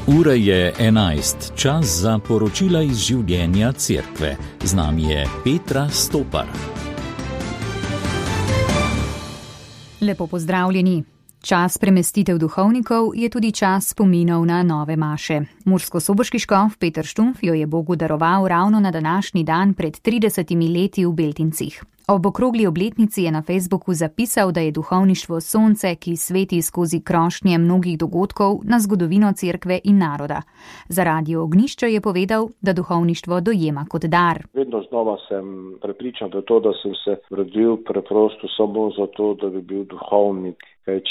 Ura je 11, čas za poročila iz življenja cerkve. Z nami je Petra Stopar. Lepo pozdravljeni. Čas premestitev duhovnikov je tudi čas spominov na nove maše. Murskosoboški škof Peter Štumpf jo je Bogu daroval ravno na današnji dan pred 30 leti v Beltincih. Ob okrogli obletnici je na Facebooku zapisal, da je duhovništvo sonce, ki sveti skozi krošnje mnogih dogodkov na zgodovino cerkve in naroda. Za Radio Ognjišče je povedal, da duhovništvo dojema kot dar. Vedno znova sem prepričan v to, da sem se rodil preprosto samo zato, da bi bil duhovnik. Kaj,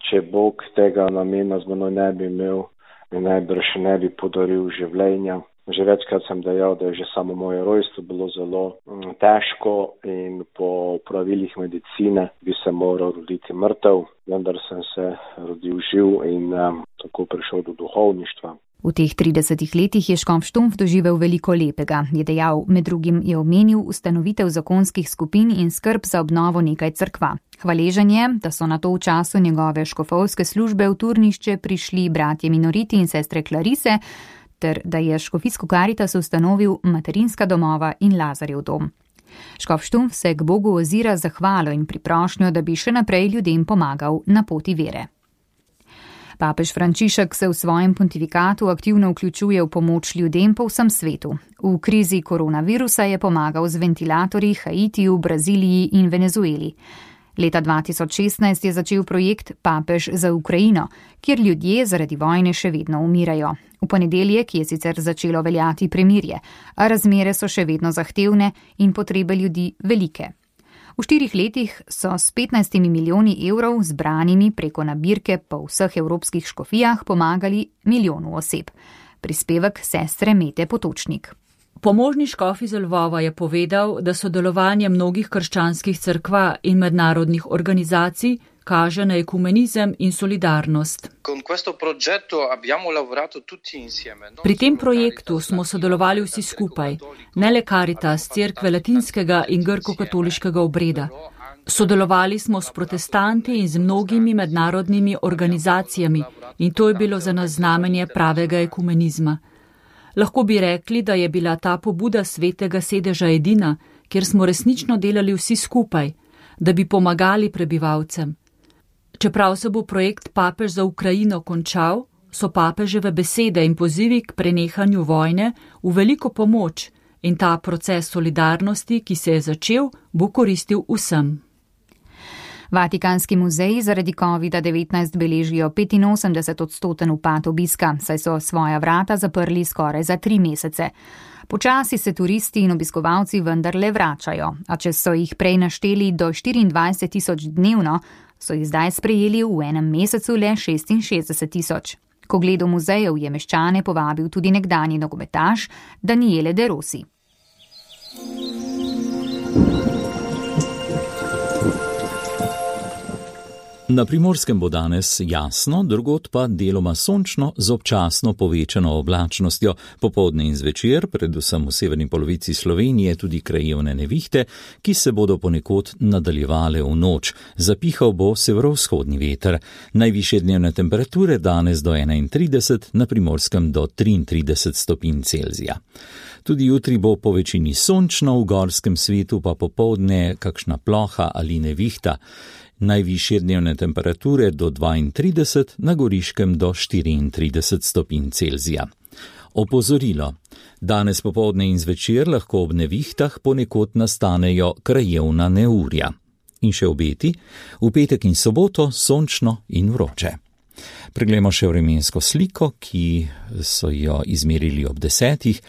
če Bog tega namena z menoj ne bi imel, mi najbrž ne bi podaril življenja. Že večkrat sem dejal, da je že samo moje rojstvo bilo zelo težko in po pravilih medicine bi se moral roditi mrtev, vendar sem se rodil živ in tako prišel do duhovništva. V teh 30 letih je škof Štumpf doživel veliko lepega, je dejal. Med drugim je omenil ustanovitev zakonskih skupin in skrb za obnovo nekaj cerkva. Hvaležen je, da so na to v času njegove škofovske službe v Turnišče prišli bratje Minoriti in sestre Klarise, ter da je škofijsko Karitas ustanovil materinska domova in Lazarjev dom. Škof Štumpf se k Bogu ozira z zahvalo in priprošnjo, da bi še naprej ljudem pomagal na poti vere. Papež Frančišek se v svojem pontifikatu aktivno vključuje v pomoč ljudem po vsem svetu. V krizi koronavirusa je pomagal z ventilatorji Haitiju, Braziliji in Venezueli. Leta 2016 je začel projekt Papež za Ukrajino, kjer ljudje zaradi vojne še vedno umirajo. V ponedeljek je sicer začelo veljati premirje, a razmere so še vedno zahtevne in potrebe ljudi velike. V 4 letih so s 15 milijoni evrov zbranimi preko nabirke po vseh evropskih škofijah pomagali milijonu oseb. Prispevek sestre Mete Potočnik. Pomožni škof iz Lvova je povedal, da sodelovanje mnogih krščanskih cerkva in mednarodnih organizacij kaže na ekumenizem in solidarnost. Pri tem projektu smo sodelovali vsi skupaj, ne le Karitas, cerkve latinskega in grko-katoliškega obreda. Sodelovali smo s protestanti in z mnogimi mednarodnimi organizacijami in to je bilo za nas znamenje pravega ekumenizma. Lahko bi rekli, da je bila ta pobuda svetega sedeža edina, kjer smo resnično delali vsi skupaj, da bi pomagali prebivalcem. Čeprav se bo projekt Papež za Ukrajino končal, so papeževe besede in pozivi k prenehanju vojne v veliko pomoč in ta proces solidarnosti, ki se je začel, bo koristil vsem. Vatikanski muzeji zaradi COVID-19 beležijo 85% upad obiska, saj so svoja vrata zaprli skoraj za 3 mesece. Počasi se turisti in obiskovalci vendarle vračajo, a če so jih prej našteli do 24.000 dnevno, so jih zdaj sprejeli v enem mesecu le 66.000. K ogledu muzejev je meščane povabil tudi nekdanji nogometaš Daniele De Rossi. Na Primorskem bo danes jasno, drugod pa deloma sončno z občasno povečano oblačnostjo. Popoldne in zvečer, predvsem v severni polovici Slovenije, tudi krajevne nevihte, ki se bodo ponekod nadaljevale v noč. Zapihal bo severovzhodni veter. Najvišje dnevne temperature danes do 31, na Primorskem do 33 stopinj Celzija. Tudi jutri bo po večini sončno, v gorskem svetu pa popoldne kakšna ploha ali nevihta. Najvišje dnevne temperature do 32, na Goriškem do 34 stopinj Celzija. Opozorilo. Danes popoldne in zvečer lahko ob nevihtah ponekod nastanejo krajevna neurja. In še obeti, v petek in soboto sončno in vroče. Preglejmo še vremensko sliko, ki so jo izmerili ob 10.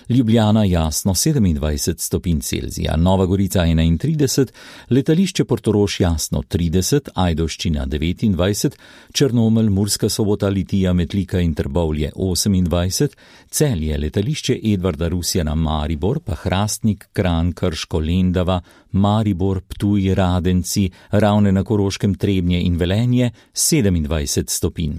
Ljubljana jasno 27 stopinj Celzija, Nova Gorica 31, letališče Portorož jasno 30, Ajdovščina 29, Črnomelj, Murska Sobota, Litija, Metlika in Trbovlje 28, Celje, letališče Edvarda Rusjana, Maribor, pa Hrastnik, Kranj, Krško, Lendava, Maribor, Ptuj, Radenci, Ravne na Koroškem, Trebnje in Velenje 27 stopinj.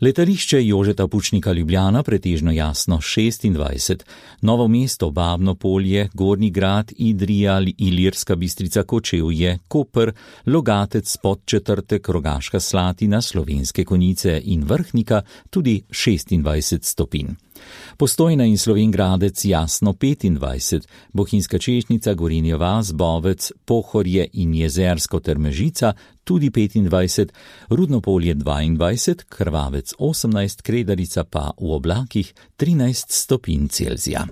Letališče Jožeta Pučnika Ljubljana pretežno jasno 26, Novo mesto, Babno Polje, Gornji Grad, Idrija, Ilirska Bistrica, Kočevje, Koper, Logatec, Podčetrtek, Rogaška Slatina, Slovenske Konjice in Vrhnika tudi 26 stopinj. Postojna in Slovenj Gradec jasno 25, Bohinjska Češnjica, Gorenja vas, Bovec, Pohorje in Jezersko ter Mežica tudi 25, Rudno Polje 22, Krvavec 18, Kredarica pa v oblakih 13 stopinj Celzija.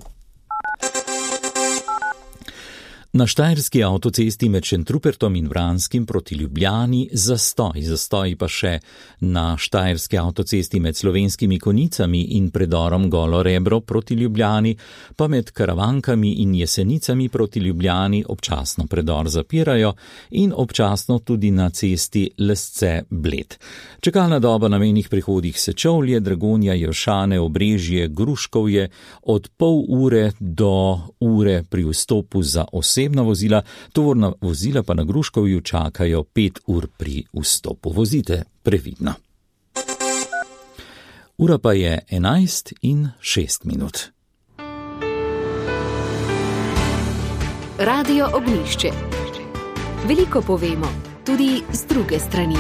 Na štajerski avtocesti med Šentrupertom in Vranskim proti Ljubljani zastoj pa še na štajerski avtocesti med Slovenskimi Konjicami in predorom Golo Rebro proti Ljubljani, pa med Karavankami in Jesenicami proti Ljubljani občasno predor zapirajo in občasno tudi na cesti Lesce-Bled. Čakalna doba na mejnih prehodih Sečovlje, Dragonja, Jelšane, Obrežje, Gruškovje od pol ure do ure pri vstopu za osebna vozila, tovorna vozila pa na Gruškovju čakajo 5 ur pri vstopu. Vozite previdno. Ura pa je 11:06. Radio Ognjišče. Veliko povemo, tudi z druge strani.